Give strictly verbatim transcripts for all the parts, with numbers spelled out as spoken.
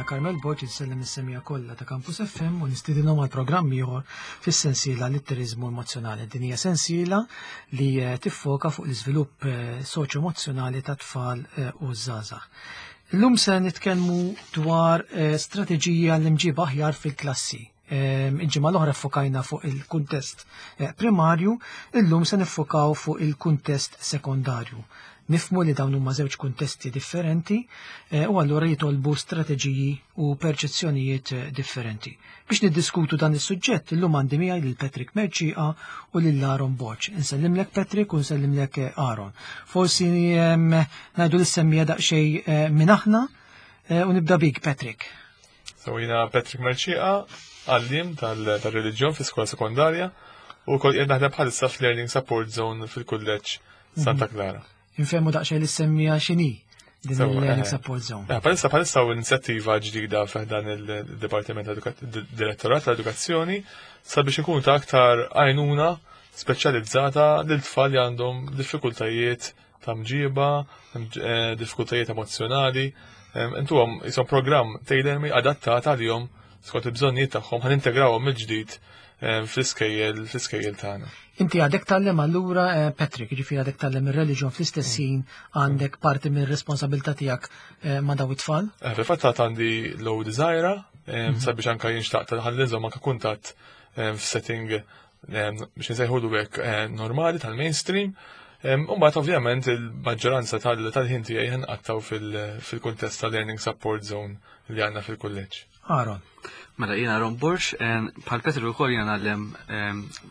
Carmel Borg, insellem is-semmiegħa kollha ta' Campus F M u nistidinhom għal programm ieħor fis-sensiela Litteriżmu Emozzjonali. Din hija sensiela li eh, tiffoka fuq l-iżvilupp eh, soċjo-emozzjonali ta' tfal eh, u żgħażagħ. Illum se nitkellmu dwar strateġija l-imġiba aħjar fil-klassi. Il-ġimgħa l-oħra ffokajna fuq il-kuntest primarju, illum se niffokaw fuq il-kuntest sekondarju. Nifhmu li dawn huma żewġ kuntesti differenti eh, u allura jitolbu strateġiji u perċezzjonijiet eh, differenti. Biex niddiskutu dan is-suġġett, illum għandi miegħi lil Patrick Mercieca u lil Aaron Borg. Insellimlek, Patrick, u nsellimlek, eh, Aaron. Forsi ngħidu lis-semmiegħa daqsxejn minn aħna u nibda bik, Patrick. So jiena Patrick Mercieca, għalliem tal-reliġjon fi skola sekondarja u kol naħdem bħalissa fl-Learning Support Zone fil-Kulleġġ Santa mhm. Clara. Infehmu daqsxejn lis-semmiegħa x'inhi din il-Learning eh, Support Zone. Eh, bħalissa bħalissa u inizjattiva ġdida f'dan il-Dipartiment Direttorat tal-Edukazzjoni sabiex ikun ta' aktar għajnuna speċjalizzata lil tfal li għandhom diffikultajiet ta' mġiba, eh, diffikultajiet emozjonali. Intuhom jisom programm tailor-made adattat għalihom skont il-bżonnijiet tagħhom, ħa nintegrawhom mill-ġdid fl-iskejjel fl-iskejjel tagħna. Inti għadek tgħallem allura, eh, Patrick, ġifieri għadek tgħallem ir-reliġjon, fl-istess ħin għandek parti minn responsabilità tiegħek eh, ma' daw it-tfal? Eh, fil-fatt għandi load żgħira mhm. sabiex anka jinxtaq tal-ħallinżhom anka kuntatt f'setting biex nsejħulu hekk normali tal-mainstream. Umbagħad ovvjament il-maġġoranza tal-ħin tiegħi nqattgħu fil-kuntest tal-Learning Support Zone li għandna fil-kulleġġ. Aaron. Mela, jiena Aaron Borg, bħal Petru ukoll jiena ngħallem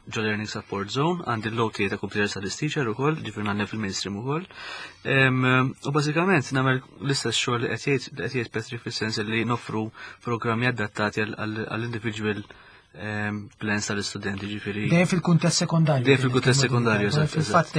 ġo Learning Support Zone, għandi l-load tiegħi ta' Computer Studies Teacher ukoll, ġifieri ngħallem fil-mainstream ukoll. U bażikament nagħmel l-istess xogħol li qed jgħid Patrick, fis-sens li noffru programmi adattati għall-individual plans tal-istudenti, ġifieri. Dejjem fil-kuntest sekondarju. Dejjem fil-kuntest sekondarju, eżatt. Fil-fatt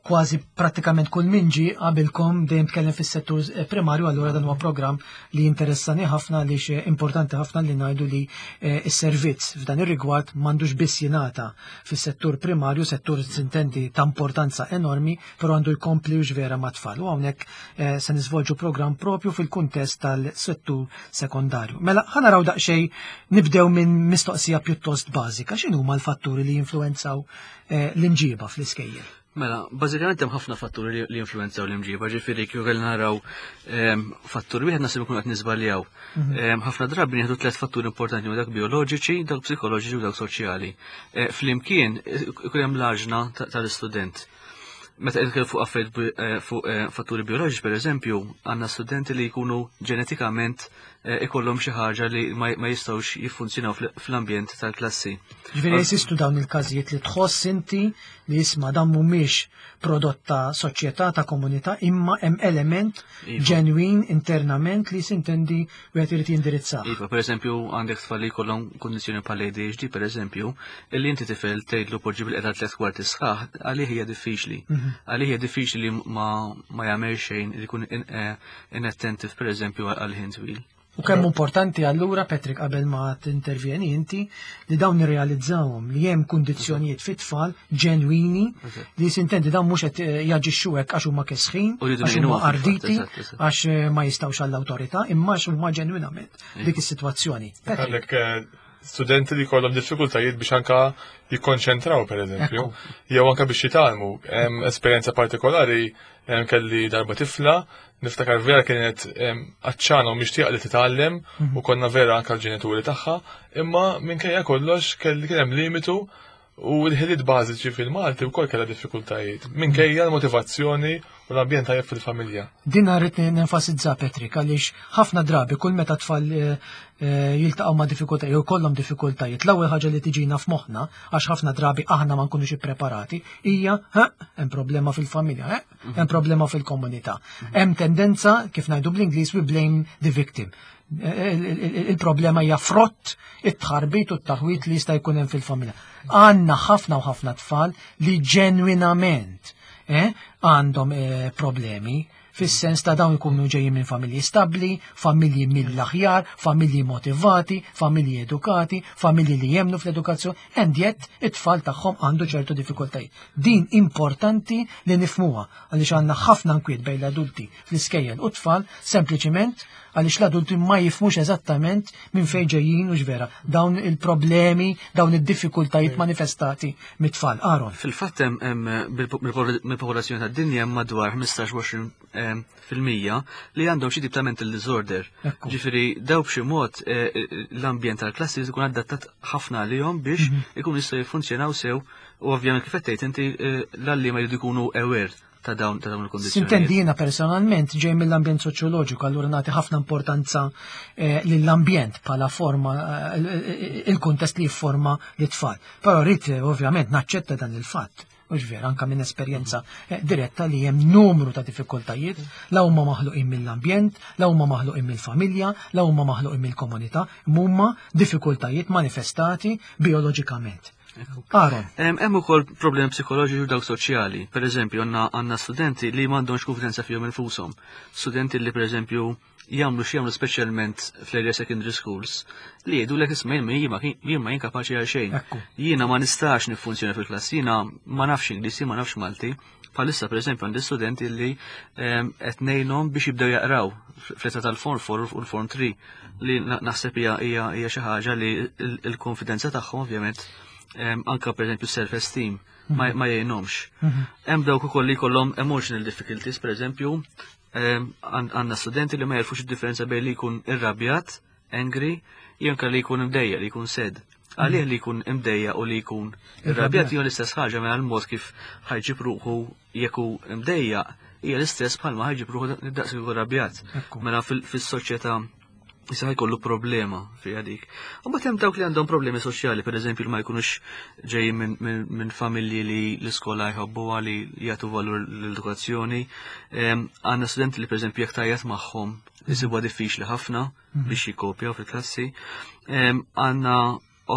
kważi prattikament kull min ġie qabilkom dejjem tkellem fis-settur eh, primarju, allura dan huwa programm li interessani ħafna għaliex eh, importanti ħafna li ngħidu li eh, s-servizz f'dan ir-rigward m'għandux biss jingħata fis-settur primarju, settur sintendi ta' importanza enormi, però għandu jkompli u vera ma' tfal. U hawnhekk se niżvolġu programm propju fil-kuntest tal-settur sekondarju. Mela, ħa naraw daqsxejn, nibdew minn mistoqsija pjuttost bażika: x'inhuma l-fatturi li jinfluwenzaw l-imġiba fl-iskejjel? Mela, bażikament hemm ħafna fatturi li influenzaw l-imġiba, ġifieri kieku kellna naraw ehm, fattur wieħed nasib ikun qed niżbaljaw. Mhm. Ehm, ħafna drabi nieħdu tliet fatturi importanti, dak bioloġiċi, dak psikoloġiċi u dak soċjali. Eh, flimkien ikun hemm l-għaġna tal-istudent. Meta nitkellmu fuq affarijiet eh, fuq eh, fatturi bioloġiċi, per eżempju, għandna studenti li jkunu ġenetikament ikollhom xi ħaġa li ma jistgħux jiffunzjonaw fl-ambjent tal-klassi. Ġifieri jeżistu dawn il-każijiet li tħoss inti li jisma' dan mhumiex prodott ta' soċjetà, ta' komunità, imma hemm element iva. ġenwin internament li sintendi wieħed irid jindirizza. Iva, per eżempju, għandek tfal li jkollhom kundizzjoni bħal A D H D, per eżempju, illi inti tifel tgħidlu poġġi bilqiegħda tliet kwarti sħaħ, għalih hija diffiċli. Mhm. Għalih hija diffiċli li ma ma jagħmel xejn, li jkun eh, inattentive, per eżempju, għal ħin twil. U kemm importanti allura, Patrick, qabel ma tintervjeni inti, li dawn nirrealizzawhom li hemm kundizzjonijiet fit-tfal ġenwini li sintendi dawn mhux qed eh, jaġixxu hekk għax huma kesħin, għax huma arditi, għax eh, ma jistgħux għall-awtorità, imma għax huma ġenwinament dik is-sitwazzjoni. Għandek eh, studenti li kollhom diffikultajiet biex anka jikkonċentraw, per eżempju, jew anka biex jitgħallmu. Hemm esperjenza partikolari, kelli darba tifla, niftakar vera kienet għatxana u mixtieqa li titgħallem mhm. u konna vera anka l-ġenituri tagħha, imma minkejja kollox kelli kien hemm limitu u l-ħiliet bażiċi fil-Malti wkoll kellha diffikultajiet. Minkejja l-motivazzjoni u l-ambjent tajjeb fil-familja. Din rrid nenfasizza, Patrick, għaliex ħafna drabi kull meta tfal eh, eh, jiltaqgħu ma' diffikultajiet jew kollhom diffikultajiet, l-ewwel ħaġa li tiġina f'moħħna, għax ħafna drabi aħna ma nkunux ippreparati, hija hemm problema fil-familja, hemm problema fil-komunità. Hemm tendenza, kif ngħidu bl-Ingliż, we blame the victim. Il-problema hija frott it-tħarbit u t-taħwit li jista' jkun hemm fil-familja. Għandna ħafna u ħafna tfal li ġenwinament eh, għandhom eh, problemi fis-sens ta' dawn ikunu ġejjin minn familji stabbli, familji mill-aħjar, familji motivati, familji edukati, familji li jemnu fl-edukazzjoni, and yet it-tfal tagħhom għandu ċertu diffikultajiet. Din importanti li nifhmuha għaliex għandna ħafna nkwiet bejn l-adulti fl-iskejjel u tfal sempliċiment għax Għaliex l-adulti ma jifhmux eżattament minn fejn ġejjin u x'vera dawn il-problemi, dawn id-diffikultajiet manifestati mit-tfal. Aaron. Fil-fatt hemm mill-popolazzjoni tad-dinja hemm madwar ħmistax fil-mija li għandhom xi tip ta' mental disorder. Ġifieri daw b'xi mod eh, l-ambjent tal-klassi jkun adattat ħafna għalihom biex mhm. ikun jistgħu jiffunzjonaw sew u ovvjament kif qed tgħid inti eh, l-għalliema jridu jkunu aware ta' dawn ta' dawn il-kondizzjoni. Sintendi jiena personalment ġej mill-ambjent soċjoloġiku, allura nagħti ħafna importanza eh, lill-ambjent bħala forma eh, il-kuntest li jifforma l-tfal. Però rrid ovvjament naċċetta dan il-fatt. Mhux vera, anka minn esperjenza eh, diretta li hemm numru ta' diffikultajiet, la huma maħluqin mill-ambjent, la huma maħluqin mill-familja, la huma maħluqin mill-komunità, huma diffikultajiet manifestati bioloġikament. Aaron. Hemm ukoll problemi psikoloġiċi u dawk soċjali. Per eżempju, għandna studenti li m'għandhomx konfidenza fihom infushom. Studenti li per eżempju jagħmlu xi jagħmlu, speċjalment fl-area secondary schools, li jgħidu lek, "Isma', jien ma jien kapaċi għal xejn. Jiena ma nistax niffunzjona fil-klassi, jiena ma nafx Ingliż, ma nafx Malti." Bħalissa, per eżempju, għandi studenti li qed ngħinhom biex jibdew jaqraw fl-età tal-Form four u l-Form three, li naħseb hija hija xi ħaġa li l-konfidenza tagħhom ovvjament, anka per eżempju self-esteem, ma mhm. jgħinhomx. Mhm. Hemm dawk ukoll li jkollhom emotional difficulties, per eżempju, għandna studenti li ma jarfux id-differenza bejn li jkun irrabjat, angry, jew li jkun imdejja, li jkun sad. Għalih li jkun imdejja u li jkun irrabjat jew l-istess ħaġa, mela l-mod kif ħa jġib ruħu jekk hu imdejja hija l-istess bħalma ħa jġib ruħu daqs jkun irrabjat. Mela fis-soċjetà jista' jkollu problema fi dik. U mbagħad hemm dawk li għandhom problemi soċjali, pereżempju li ma jkunux ġejjin minn min, min familji li l-iskola jħobbuha, li jagħtu valur l-edukazzjoni. Għandna studenti li, pereżempju, jekk tgħajjat magħhom isibuha diffiċli ħafna mhm. biex jikkopjaw fil-klassi. Għandna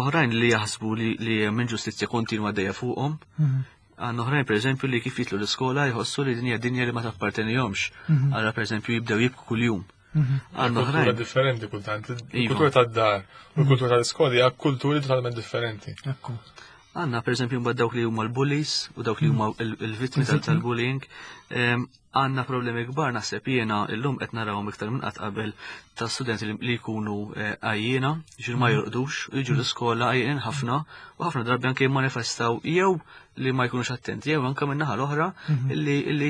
oħrajn li jaħsbu li, li hemm inġustizzja kontinwa dejja fuqhom. Mhm. Għandna oħrajn, per eżempju, li kif jidħlu l-iskola jħossu li dinja dinja li ma tappartenihomx. Mhm. Allura, per eżempju, jibdew jibku kuljum. Għandna oħrajn. Differenti kultant. Il-kultura tad-dar u l-kultura tal-iskola hija kulturi totalment differenti. Għandna, per eżempju, mbagħad dawk li huma l-bullies u dawk li huma l-vittmi tal-bullying. Għandna problemi kbar, naħseb jiena illum qed narawhom iktar minn qatt qabel, ta' studenti li jkunu eh, għajjiena, ġifieri ma jorqdux, u jiġu l-iskola għajjien ħafna u ħafna drabi anke jimmanifestaw jew li ma jkunux attenti jew anke minn naħa l-oħra li li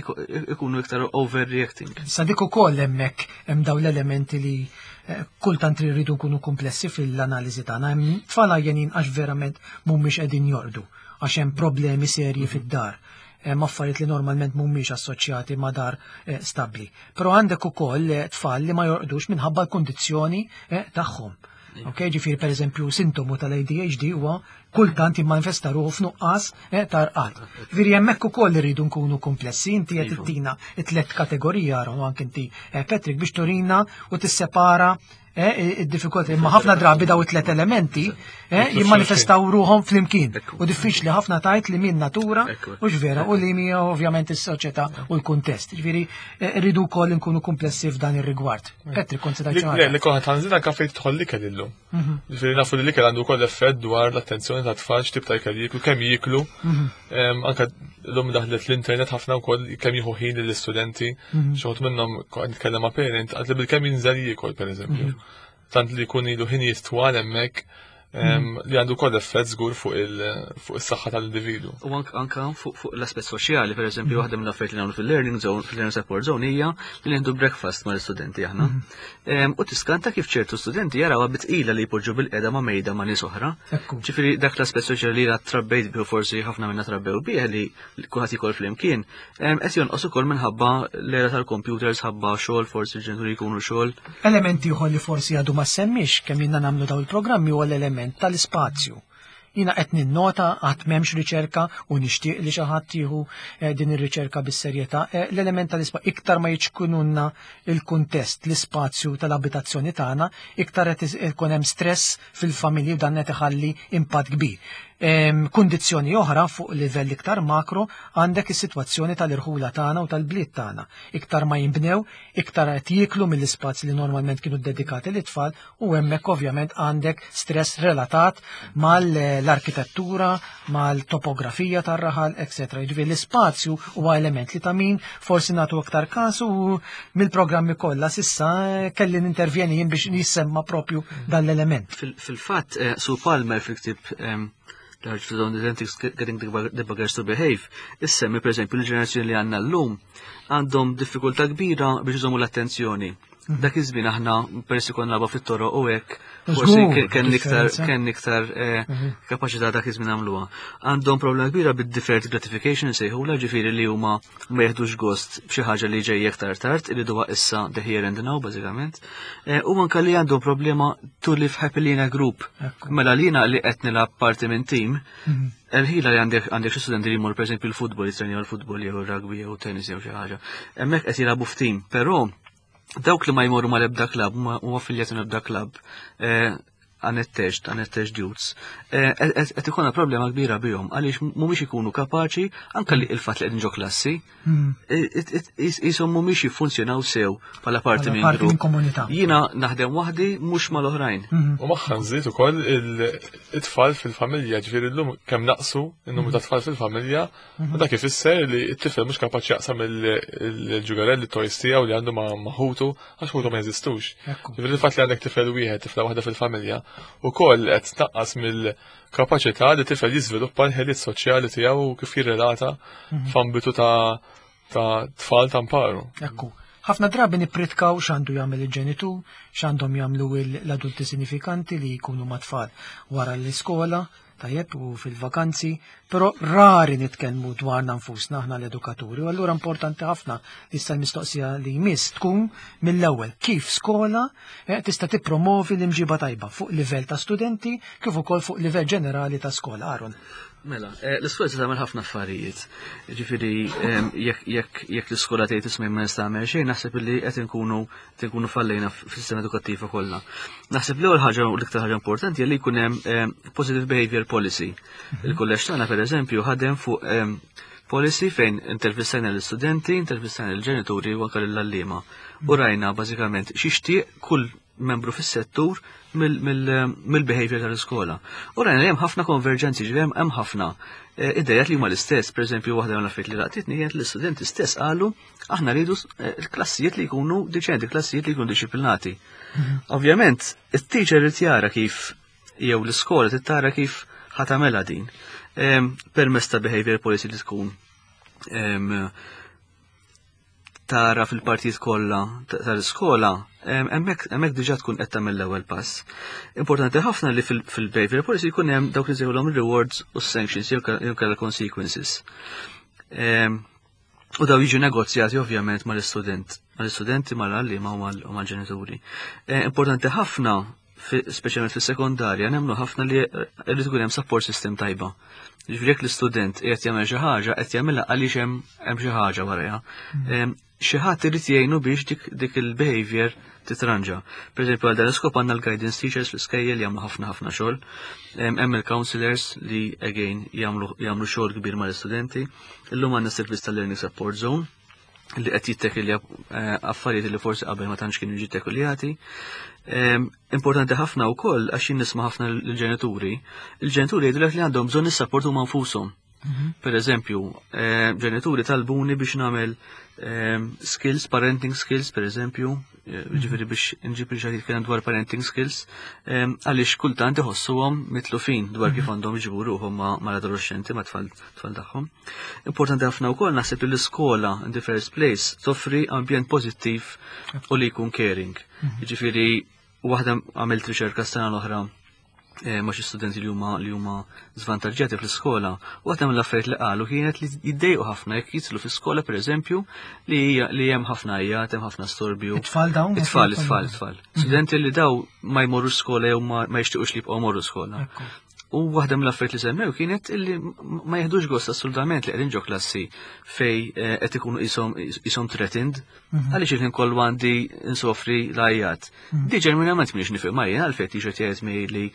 jkunu iktar overreacting. Sa dik ukoll hemmhekk hemm dawn l-elementi li eh, kultant rridu nkunu komplessi fil-analiżi tagħna. Hemm tfal għajjenin għax verament mhumiex qegħdin jorqdu, għax hemm problemi serji fid-dar. Hemm affarijiet li normalment mhumiex assoċjati ma' dar eh, stabbli. Però għandek ukoll eh, tfal li ma jorqdux minħabba l-kundizzjoni tagħhom. Ok, ġifieri, per eżempju, sintomu tal-A D H D huwa kultant jimmanifesta ruħu f'nuqqas ta' rqad. Ġifieri hemmhekk ukoll irridu nkunu komplessi, inti qed Iva. ittina it-tlet kategorija, Aaron, u anke inti, eh, Patrick, biex turina u tissepara eh, id-diffikultà. Imma ħafna drabi daw it-tlet elementi eh, jimmanifestaw ruħhom flimkien. U diffiċli ħafna tgħid li min natura Ekku. u vera u li mija ovvjament is-soċjetà u l-kuntest. Ġifieri eh, rridu wkoll nkunu komplessi f'dan ir-rigward. Patrick, kont se tgħid xi Le, ħaġa? li konna tanżina anka fejn tidħol l-ikel illum. Ġifieri nafu li l-ikel għandu wkoll effett dwar l-attenzjoni ta' tfal, x'tip ta' ikel jieklu, kemm jieklu. Em, Anka llum daħlet l-internet ħafna wkoll, kemm jieħu ħin lill-istudenti. Xi wħud minnhom, kont nitkellem ma' parent, għad li bil-kemm jinżel jiekol, pereżempju. Tant li jkun ilu ħin jistwal hemmhekk em, li għandu wkoll effett żgur fuq il- fuq is-saħħa tal-individu. U ank- anka fuq fuq l-aspett soċjali, per eżempju, waħda mill affarijiet li nagħmlu fil-learning zone, fil-learning support zone, hija li nieħdu breakfast mal-istudenti aħna. Em, U tiskanta kif ċertu studenti jarawha bi tqila li jpoġġu bilqiegħda ma' mejda ma' nies oħra. Ekku. Ġifieri dak l-aspett soċjali li jiena trabbejt bih, forsi ħafna minna trabbew bih, li kulħadd jiekol flimkien, em, qed jonqos ukoll minħabba l-era tal-computers, ħabba xogħol, forsi l-ġenituri jkunu xogħol. Elementi ieħor li forsi għadu ma semmix kemm jiena nagħmlu daw il-programmi huwa l-element tal-ispazju. Jiena qed ninnota, għad m'hemmx riċerka u nixtieq li xi ħadd jieħu eh, din ir-riċerka bis-serjetà. eh, L-element tal-ispazju, iktar ma jiċkununna il-kuntest, l-ispazju tal-abitazzjoni tagħna, iktar qed ikun hemm stress fil-familji u dan qed iħalli impatt kbir. Kundizzjoni oħra fuq livell iktar makro għandek is-sitwazzjoni tal-irħula tagħna u tal-bliet tagħna. Iktar ma jinbnew, iktar qed jieklu mill-ispazji li normalment kienu dedikati lit-tfal u hemmhekk ovvjament għandek stress relatat mal-arkitettura, mal-topografija tar-raħal, eċetera. Jiġifieri l-ispazju huwa element li ta' min forsi nagħtu aktar kasu u mill-programmi kollha s'issa kelli nintervjeni jien biex jissemma propju dan l-element. Fil-fatt, eh, Sue Palmer fil-ktieb Large to Getting the Buggers to Behave, issemmi per esempio l-ġenerazzjoni li għandna llum għandhom diffikultà kbira biex iżommu l-attenzjoni. Mhm. Dak iż-żmien aħna persi konna nilagħbu fit-toroq u hekk, forsi kien iktar kien iktar eh, mhm. kapaċità dak iż-żmien għamluha. Għandhom problema kbira bid-deferred gratification sejħula, ġifieri li huma ma jeħdux gost b'xi ħaġa li ġejja iktar tard, iriduha issa, the here and now bażikament. Eh, u anke li għandhom problema to live happily in a group. Mela lina li qed nilgħab parti minn team, mhm. il-ħila li għandek għandek xi studenti li jmur pereżempju l-futbol, jitrenjaw l-futbol jew rugby jew tennis jew xi ħaġa. Hemmhekk qed jilagħbu f'team, però dawk li ma jmorru ma l-ebda klab, ma huma affiljati l-ebda klab, eh, unattached, unattached youths, eh, qed ikollna problema kbira bihom għaliex mhumiex ikunu kapaċi anke li il-fatt li qegħdin ġo klassi, hmm. qishom mhumiex jiffunzjonaw sew bħala parti minn grupp. Komunità. Jiena naħdem waħdi, mhux mal-oħrajn. Hmm. U magħha nżid ukoll it-tfal fil-familja, ġifieri llum kemm naqsu n-numru ta' tfal fil-familja, u dak ifisser li t-tifel mhux kapaċi jaqsam il-ġugarelli, toys tiegħu li għandu ma' ħutu għax ħutu ma jeżistux. Ġifieri il-fatt li għandek tifel wieħed, tifla waħda fil-familja, ukoll qed tnaqqas mill-kapaċità li tifel jiżviluppa l-ħiliet soċjali tiegħu u kif jirrelata mhm. f'ambitu ta' ta' tfal ta' mparu. Ekku. Ħafna drabi nippritkaw x'għandu jagħmel il-ġenitur, x'għandhom jagħmlu l-adulti sinifikanti li jkunu mat-tfal wara l-iskola, tajjeb, u fil-vakanzi, però rari nitkellmu dwarna nfusna aħna l-edukaturi. U allura importanti ħafna li issa l-mistoqsija li jmiss tkun mill-ewwel kif skola eh, tista' tippromovi l-imġiba tajba fuq livell ta' studenti kif ukoll fuq livell ġenerali ta' skola. Aaron. Mela, eh, l-iskola se tagħmel ħafna affarijiet. Ġifieri jekk jekk l-iskola tgħid, "Isma', ma nista' nagħmel xejn", naħseb li qed inkunu qed inkunu fallejna fis-sistema edukattiva kollha. Naħseb l-ewwel ħaġa u l-iktar ħaġa importanti li jkun hemm positive behavior policy. Mhm. Il-kulleġġ tagħna, pereżempju, ħadem fuq policy fejn intervistajna l-istudenti, intervistajna l-ġenituri u anke l-għalliema. U rajna bażikament x'ixtieq kull membru fis-settur mill-behavior tal-iskola. U rajna li hemm ħafna konverġenzi, ġifieri hemm ħafna eh, idejat li huma l-istess. Per eżempju, waħda mill-affarijiet li laqtitni kienet l-istudenti stess qalu, "Aħna rridu eh, l-klassijiet li jkunu diċenti, klassijiet li jkunu disciplinati." Mhm. Ovvjament, it-teacher irid jara kif, jew l-iskola trid tara kif ħa tagħmilha din. Permezz ta' behavior policy li tkun tara fil-partijiet kollha tal-iskola, hemmhekk diġà tkun qed tagħmel l-ewwel pass. Importanti ħafna li fil-behavior policy jkun hemm dawk li nsejħulhom rewards u sanctions jew kellha consequences. U daw jiġu negozjati ovvjament mal-istudent, mal-istudenti, mal-għalliema u mal-ġenituri. E, importanti ħafna, speċjalment fis-sekondarja, nemmnu ħafna li rrid ikun hemm support system tajba. Ġifieri jekk l-istudent qiegħed jagħmel xi ħaġa, qed jagħmilha għaliex hemm xi ħaġa warajha. Mm. Xi ħadd irid jgħinu biex dik, dik il-behavior titranġa. Per eżempju, għal dan l-iskop għandna l-guidance teachers fl-iskejjel jagħmlu ħafna ħafna xogħol. Hemm il-counselors li again jagħmlu jagħmlu xogħol kbir mal-istudenti. Illum għandna servizz tal-Learning Support Zone li qed jittekilja eh, affarijiet li forsi qabel ma tantx kienu jiġi. Importanti ħafna wkoll, għax jien nisma' ħafna l-ġenituri, il-ġenituri jgħidulek li għandhom bżonn is-support huma nfushom. Mhm. Per eżempju, eh, ġenituri talbuni biex nagħmel eh, skills, parenting skills, per eżempju, eh, mhm. ġifieri biex nġib il jitkellem dwar parenting skills, għaliex kultant iħossuhom mitlufin dwar kif mhm. għandhom iġibu ruħhom mal-adolescenti, ma' tfal tagħhom. Importanti ħafna wkoll naħseb li l-iskola in the first place toffri ambjent pożittiv u li jkun caring. Ġifieri waħda għamilt riċerka sena l-oħra Eh, ma' xi studenti li huma li huma żvantaġġjati fl-iskola, u waħda mill-affarijiet li qalu kienet li jiddejqu ħafna jekk jidħlu fl-iskola, pereżempju, li li hemm ħafna għajjat, hemm ħafna storbju. It-tfal dawn? It-tfal, it-tfal, it-tfal. Mhm. Studenti li daw ma jmorru skola jew ma jixtiequx li jibqgħu morru skola. U waħda mill-affarijiet li semmew kienet illi ma jeħdux gost assolutament li qegħdin ġo klassi fej eh, qed ikunu qishom threatened mhm. għaliex il-ħin kollu għandi nsofri l-għajjat. Mhm. Di ġenwinament m'iniex nifhem jien għalfejn teacher jgħid li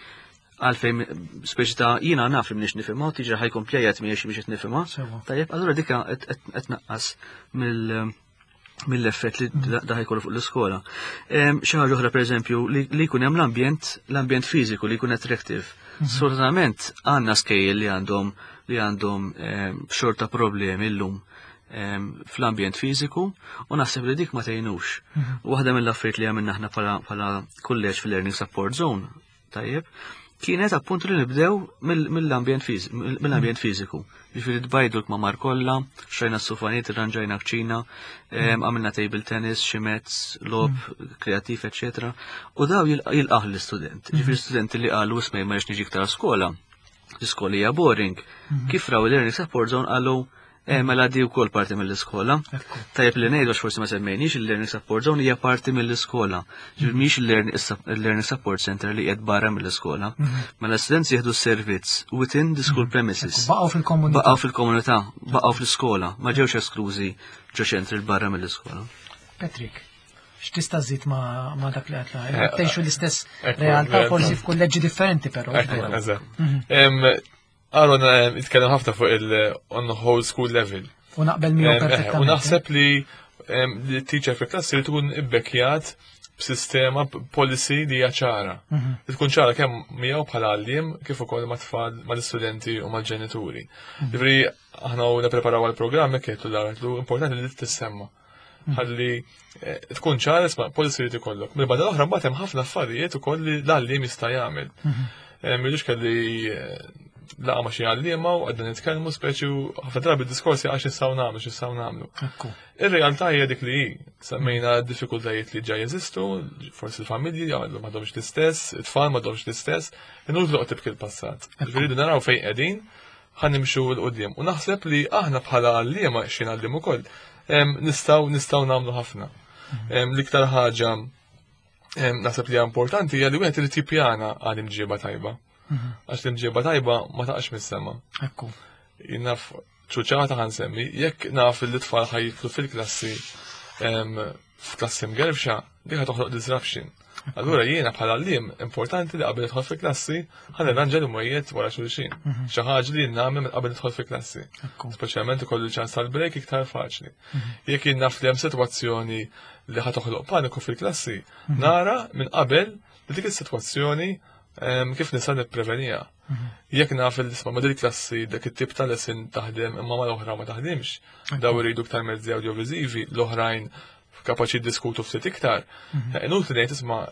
Għalfejn speċi ta' jiena naf li m'iniex nifhimha u teacher ħa jkompli jgħid mhijiex biex qed nifhimha. Tajjeb, allura dika qed tnaqqas mill mill-effett li da ħa jkollu fuq l-iskola. Xi ħaġa oħra, pereżempju, li jkun hemm l-ambjent l-ambjent fiżiku li jkun attractive. Sfortunatament għandna skejjel li għandhom li għandhom xorta problemi llum fl-ambjent fiżiku u naħseb li dik ma tgħinux. Waħda mill-affarijiet li għamilna aħna bħala kulleġġ fil-Learning Support Zone, tajjeb, kienet appuntu li nibdew mill-ambjent mill-ambjent fiżiku. Ġifieri tbajdu l-kmamar kollha, xtrajna s-sufaniet, irranġajna kċina, għamilna table tennis, xi mezz, logħob kreattiv, eċetera. U daw jilqaħ l-istudent. Ġifieri studenti li qalu, "Isma', ma niġi iktar skola. L-iskola hija boring." Kif raw il-Learning Support Zone qalu, "Eh, mela di wkoll parti mill-iskola." Tajjeb li ngħidu, forsi ma semmejniex, il-Learning Support Zone hija parti mill-iskola. Ġifieri mhix il-Learning Support Center li qiegħed barra mill-iskola. Mela l-students jieħdu servizz within the school premises. Baqgħu fil-komunità. Baqgħu fil-komunità, baqgħu fl-iskola, ma ġewx esklużi ġo ċentri barra mill-iskola. Patrick, x'tista' żżid ma dak li għedna? Tgħixu l-istess realtà, forsi f'kulleġġi differenti però. Eżatt. Aaron jitkellem ħafna fuq il-on whole school level. U naqbel miegħu perfettament. U naħseb li li teacher fi klassi li tkun ibbekkjat b'sistema, policy li hija ċara. Li tkun ċara kemm miegħu bħala għalliem kif ukoll ma' tfal, mal-istudenti u mal-ġenituri. Ġifieri aħna u nippreparaw għall-programm hekk qed l importanti li tissemma. Ħalli tkun ċara, isma', policy li tikollok. Mill-banda l-oħra mbagħad hemm ħafna affarijiet ukoll li l-għalliem jista' jagħmel. M'ilux kelli laqgħa ma' xi għalliema u għadna nitkellmu speċi u ħafna drabi d-diskorsi għax nistgħu nagħmlu, x'nistgħu nagħmlu. Ir-realtà hija dik li hi. Semmejna d-diffikultajiet li ġa jeżistu, forsi l-familji m'għadhomx l-istess, it-tfal m'għadhomx l-istess, inutli toqgħod tibki l-passat. Ġifieri naraw fejn qegħdin, ħa nimxu 'l quddiem. U naħseb li aħna bħala għalliema, xi ngħallim ukoll, nistgħu nistgħu nagħmlu ħafna. L-iktar ħaġa naħseb li hija importanti hija li wieħed irid jippjana għal imġieba tajba. Għax l-imġieba tajba ma taqax mis-sema. Ekku. Naf ċuċata ħa nsemmi, jekk naf li t-tfal ħa jidħlu fil-klassi f'klassi mgerfxa, dik toħloq disruption. Allura jiena bħala għalliem importanti li qabel nidħol fil-klassi ħa nirranġa l-imwejjed wara xulxin. Xi ħaġa li nagħmel qabel nidħol fil-klassi. Speċjalment ikollu ċans tal-break iktar faċli. Jekk jien naf li hemm sitwazzjoni li ħa toħloq paniku fil-klassi, nara minn qabel li dik is-sitwazzjoni kif nista' nipprevenija. Jekk naf li isma' ma' klassi dak it-tip ta' lesson taħdem imma ma l-oħra ma taħdimx, daw iridu iktar mezzi audiovisivi, l-oħrajn kapaċi diskutu ftit iktar. Inutli ngħid, "Isma',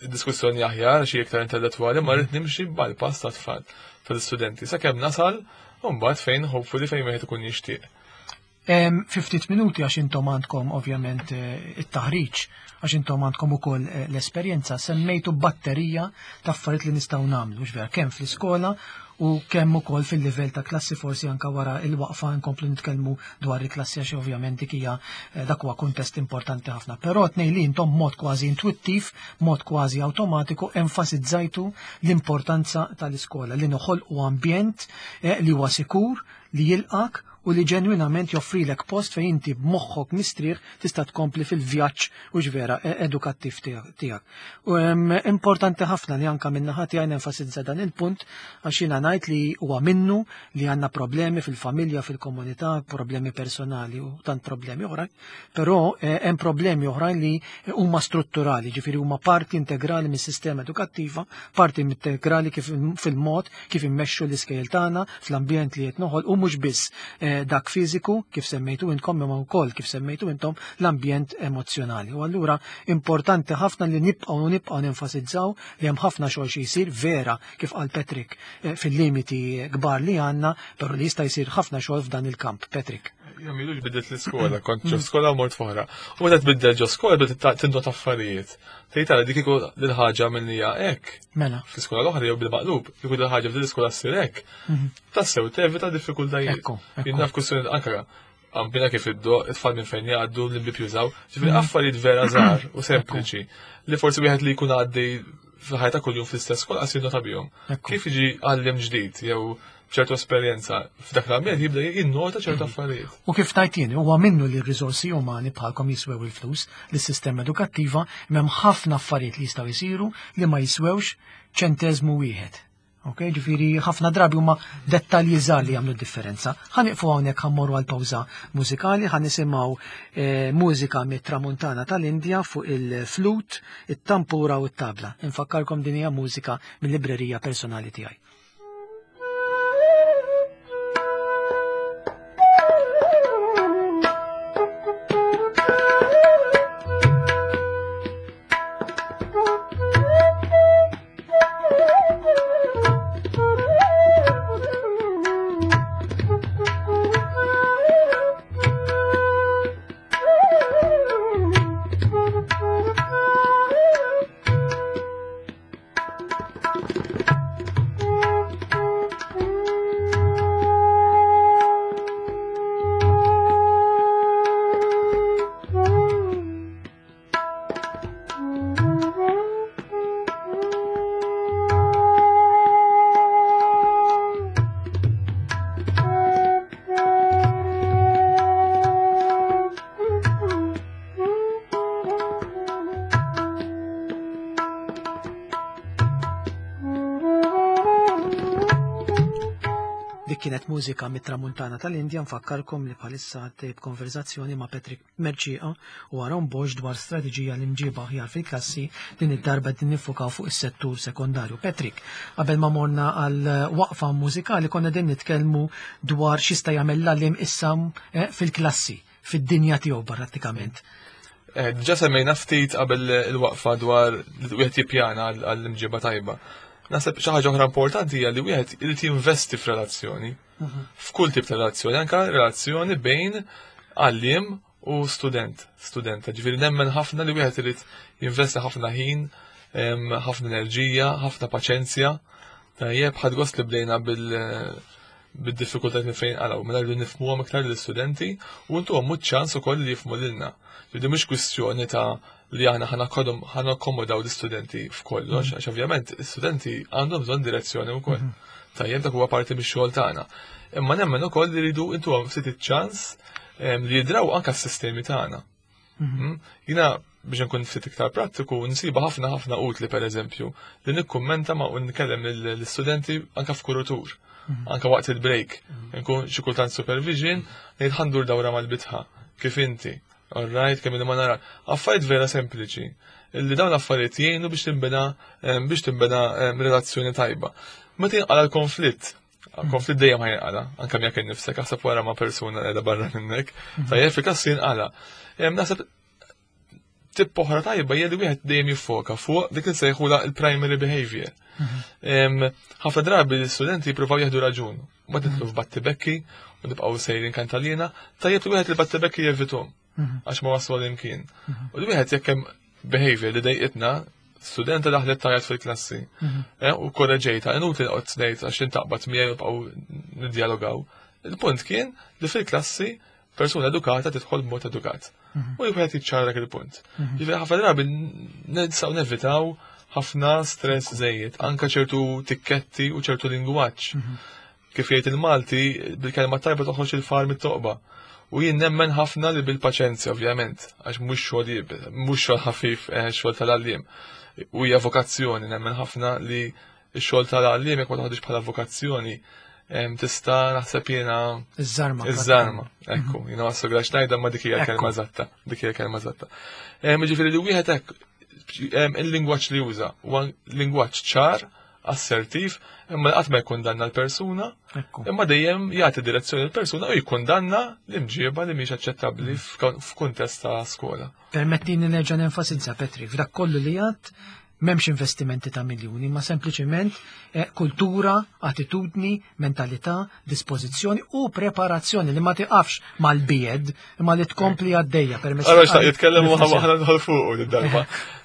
diskussjoni aħjar xi iktar intellettwali," ma rrid nimxi bħal-pass ta' tfal tal-istudenti sakemm nasal u mbagħad fejn hopefully fejn wieħed ikun jixtieq. Fi ftit minuti, għax intom għandkom ovvjament eh, it-taħriġ, għax intom għandkom ukoll eh, l-esperjenza, semmejtu batterija ta' affarijiet li nistgħu nagħmlu, vera, kemm fl-iskola u kemm ukoll fil-livell ta' klassi. Forsi anka wara il-waqfa nkomplu nitkellmu dwar il-klassi, għax ovvjament dik hija eh, dak huwa kuntest importanti ħafna. Però tnejn li intom mod kważi intuittiv, mod kważi awtomatiku enfasizzajtu l-importanza tal-iskola li noħolqu ambjent li huwa sikur, li jilqak u li ġenwinament joffrilek post fejn inti b'moħħok mistrieħ tista' tkompli fil-vjaġġ u vera e- edukattiv tiegħek. U importanti ħafna li anka min-naħa tiegħi nenfasizza dan il-punt, għax jiena ngħid li huwa minnu li għandna problemi fil-familja, fil-komunità, problemi personali u tant problemi oħrajn, però eh, hemm problemi oħrajn li huma strutturali, ġifieri huma parti integrali mis-sistema edukattiva, parti integrali kif fil-mod kif immexxu l-iskejjel tagħna, fl-ambjent li qed noħol, u mhux biss eh, dak fiżiku kif semmejtu intkom, imma wkoll kif semmejtu intom l-ambjent emozzjonali. U allura importanti ħafna li nibqgħu nibqgħu nenfasizzaw li hemm ħafna xogħol xi jsir, vera, kif qal Patrick, eh, fil-limiti kbar li għandna, però li jista' jsir ħafna xogħol f'dan il-kamp. Patrick. Jien m'ilux biddilt l-iskola, kont ġo skola u mort f'oħra. U meta tbiddel ġo skola bdiet tindot affarijiet. Tgħid tara dik kieku l-ħaġa minnija hekk. Mela. Fl-iskola l-oħra jew bil-maqlub, kieku l-ħaġa f'din l-iskola ssir hekk. Tassew tevita diffikultajiet. Ekku, Jien naf kwistjoni anke għambina kif iddo, it-tfal minn fejn jgħaddu, l-imbib jużaw, ġifieri affarijiet vera żgħar u sempliċi li forsi wieħed li jkun għaddej fil-ħajja ta' kuljum fl-istess skola qas jinnota bihom. Ekku. Kif jiġi għalliem ġdid jew b'ċertu esperjenza f'dak l-ambjent jibda jinnota ċertu affarijiet. U kif tajt jien, huwa minnu li r-riżorsi umani bħalkom jiswew il-flus lis-sistema edukattiva, m'hemm ħafna affarijiet li jistgħu jsiru li ma jiswewx ċenteżmu wieħed. Ok, ġifieri ħafna drabi huma dettalji żgħar li jagħmlu differenza. Ħa nieqfu hawnhekk, ħa mmorru għal pawża mużikali, ħa nisimgħu eh, mużika mit-tramuntana tal-Indja fuq il-flut, it-tampura u t-tabla. Infakkarkom din hija mużika mill-librerija personali tiegħi. Dik kienet mużika mit-tramuntana tal-Indja. Nfakkarkom li bħalissa għaddej b'konverzazzjoni ma' Patrick Mercieca u Aaron Bosch dwar strateġija l-imġiba aħjar fil-klassi. Din id-darba din nifukaw fuq is-settur sekondarju. Patrick, qabel ma morna għal waqfa mużikali konna din nitkellmu dwar x'jista' jagħmel l-għalliem issa eh, fil-klassi, fid-dinja tiegħu prattikament. Eh, Diġà semmejna ftit qabel il-waqfa dwar li wieħed jippjana għall-imġiba tajba. Naħseb xi ħaġa oħra importanti hija li wieħed irid jinvesti f'relazzjoni. F'kull tip ta' relazzjoni, anke relazzjoni bejn għalliem u student, studenta. Ġifieri nemmen ħafna li wieħed irid jinvesti ħafna ħin, em, ħafna enerġija, ħafna paċenzja. Tajjeb, ħadt gost li bdejna bil bid-diffikultajiet minn fejn qalgħu, mela rridu nifhmuhom iktar lill-istudenti u ntuhom ċans ukoll li jifhmu lilna. Ġifieri mhux kwistjoni ta' li aħna ħa nakkomodaw l-istudenti f'kollox, għax ovvjament l-istudenti għandhom bżonn direzzjoni wkoll. Tajjeb, dak huwa parti mix-xogħol tagħna. Imma nemmen ukoll li rridu intuhom ftit iċ-ċans em, li jidraw anke s-sistemi tagħna. Mm? Jiena biex nkun ftit iktar prattiku, nsiba ħafna ħafna utli pereżempju li nikkummenta ma' u nkellem l-istudenti anke f'kurutur, anke waqt il-break. Nkun xi kultant supervision, ngħid ħa ndur dawra mal-bitħa, kif inti. All right, kemm li ma nara. Affarijiet vera sempliċi. Illi dawn l-affarijiet jgħinu biex tinbena em, biex tinbena em, relazzjoni tajba. Meta jinqala l-konflitt, konflitt dejjem ħa jinqala, anke miegħek innifsek, aħseb wara ma' persuna qiegħda barra minnek. Tajjeb, fil-klassi jinqala. Em, Naħseb tip oħra tajba hija li wieħed dejjem jiffoka fuq dik li nsejħula il-primary behavior. Em, Ħafna drabi l-istudenti jippruvaw jieħdu raġun. Ma tidħlu f'battibekki u nibqgħu sejrin kantalina, tajjeb li wieħed il-battibekki jevitahom għax ma waslu imkien. U li wieħed jekk hemm behavior li dejqitna, studenta daħlet tgħajjat fil-klassi. Eh, U korreġejta, inutli noqgħod ngħid għax intaqbad miegħi u nibqgħu niddialogaw. Il-punt kien li fil-klassi persuna edukata tidħol b'mod edukat. U wieħed jiċċara dak il-punt. Ġifieri ħafna drabi nistgħu nevitaw ħafna stress żejjed, anke ċertu tikketti u ċertu lingwaġġ. Kif jgħid il-Malti, bil-kelma tajba toħroġ il-far mit-toqba. U jien nemmen ħafna li bil-paċenzja, ovvjament, għax mhux xogħol iebes, mhux xogħol ħafif, eh, xogħol tal-għalliem. U hija vokazzjoni, nemmen ħafna li x-xogħol tal-għalliem jekk ma toħodix bħala vokazzjoni, em, tista' naħseb jiena Iż-żarma. Iż-żarma, ekku, jiena ma sograx ngħidha ma dik hija Ekku. kelma eżatta, dik hija kelma eżatta. Em, Ġifieri li wieħed hekk em, il-lingwaġġ li juża huwa lingwaġġ ċar, assertiv, imma qatt ma jkundanna l-persuna, Ekku. imma dejjem jagħti direzzjoni l-persuna u jikkundanna l-imġieba li mhix aċċettabbli f'kon- f'kuntest ta' skola. Permettini nerġa' nenfasizza, Patrick, f'dak kollu li għad m'hemmx investimenti ta' miljuni, ma sempliċement eh, kultura, attitudni, mentalità, dispożizzjoni u preparazzjoni li ma tiqafx mal-B Ed, imma li tkompli għaddejja permezz Għara ta' xtaq jitkellem u riflessjoni. ħana nidħol fuq id-darba.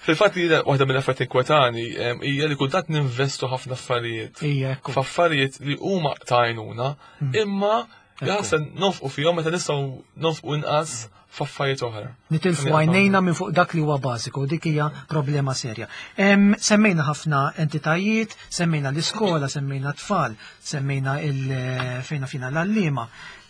Fil-fatt jiena waħda mill-affarijiet inkwetani em, hija li kultant ninvestu ħafna affarijiet. Ija, ekku. F'affarijiet li huma ta' għajnuna, imma jaħseb nonfqu fihom meta nistgħu nonfqu inqas f'affarijiet oħra. Nitilfu għajnejna minn fuq dak li huwa bażiku, dik hija problema serja. Semmejna ħafna entitajiet, semmejna l-iskola, semmejna tfal, semmejna il-fejna fina l-għalliema.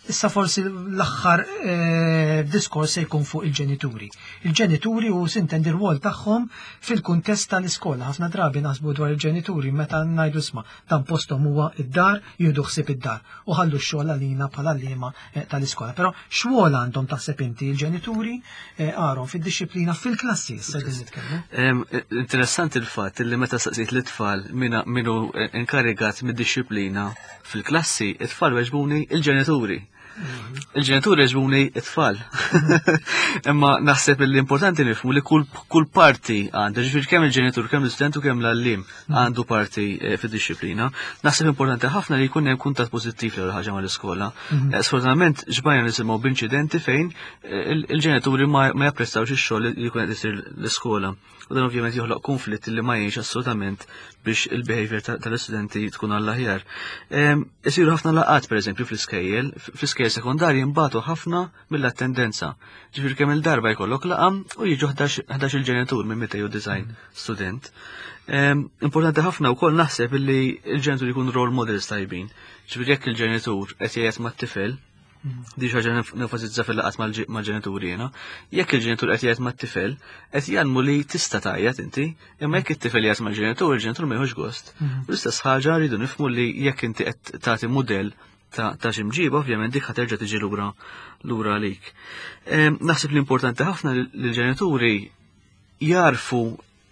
Issa forsi l-aħħar eh, diskors se jkun fuq il-ġenituri. Il-ġenituri u sintendi r-rwol tagħhom fil-kuntest tal-iskola. Ħafna drabi naħsbu dwar il-ġenituri meta ngħidu isma' dan posthom huwa id-dar, jieħdu ħsieb id-dar u ħallu x-xogħol għalina bħala għalliema eh, tal-iskola. Però x'rwol għandhom taħseb inti il-ġenituri eh, Aaron fid-dixxiplina fil-klassi issa qegħdin nitkellmu. Interessanti il-fatt li meta staqsejt l-tfal minu inkarigat mid-dixxiplina fil-klassi, it-tfal weġbuni il-ġenituri. Il-ġenituri weġbuni it-tfal. Imma naħseb li importanti nifhmu li kull, kull parti għandha, ġifieri kemm il-ġenitur, kemm l-istudent u kemm l-għalliem għandu parti eh, fid-dixxiplina. Naħseb importanti ħafna li jkun hemm kuntatt pożittiv l ħaġa mal-iskola. Eh, Sfortunatament ġbajna nisimgħu b'inċidenti fejn eh, il-ġenituri ma japprezzawx ix-xogħol li jkun qed isir l-iskola. U dan ovvjament joħloq konflitt li ma jgħinx assolutament biex il-behavior tal-istudenti tkun għall-aħjar. Isiru ħafna laqgħat pereżempju fl-iskejjel, fl-iskejjel sekondarji mbagħtu ħafna mill-attendenza. Ġifieri kemm il-darba jkollok laqgħa u jiġu ħdax il-ġenitur minn mitejn u disgħin student. Importanti ħafna wkoll naħseb illi il-ġenitur jkun role models tajbin. Ġifieri jekk il-ġenitur qed jgħid mat-tifel, di ħaġa nenfasizza fil-laqgħat mal-ġenituri jiena. Jekk il-ġenitur qed jgħid mat-tifel, qed jgħallmu li tista' tgħajjat inti, imma jekk it-tifel jgħid mal-ġenitur, il-ġenitur ma jieħux gost. U l-istess ħaġa rridu nifhmu li jekk inti qed tagħti mudell ta' xi mġiba, ovvjament dik ħaterġa' tiġi lura lura għalik. Naħseb li importanti ħafna li l-ġenituri jarfu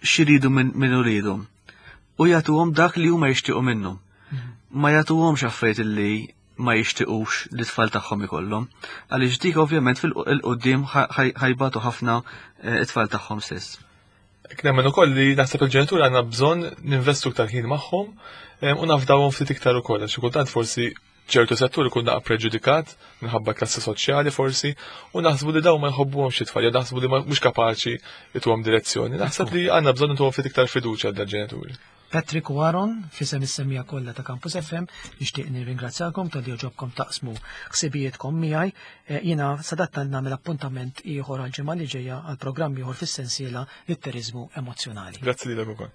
x'iridu minn uliedhom u jagħtuhom dak li huma jixtiequ minnhom. Ma jagħtuhomx affarijiet li ma jixtiequx li tfal tagħhom ikollhom, għaliex dik ovvjament fil-qudiem ħajbatu ħafna it-tfal tagħhom stess. Nemmen ukoll li naħseb il-ġenituri għandna bżonn ninvestu iktar ħin magħhom u nafdawhom ftit iktar ukoll, għax kultant forsi ċertu settur ikun naqa preġudikat minħabba klassi soċjali forsi u naħsbu li dawn ma jħobbuhomx it-tfal, jew naħsbu li mhux kapaċi jtuhom direzzjoni. Naħseb li għandna bżonn intuhom ftit iktar fiduċja għall-ġenituri. Patrick u Aaron, f'isem is-semmiegħa kollha ta' Campus F M, nixtieq nirringrazzjakom talli għoġobkom taqsmu ħsibijietkom miegħi. Jiena sadattant nagħmel appuntament ieħor għal ġimgħa li ġejja għal programm ieħor fis-sensiela Litteriżmu Emozzjonali. Grazzi lilek ukoll.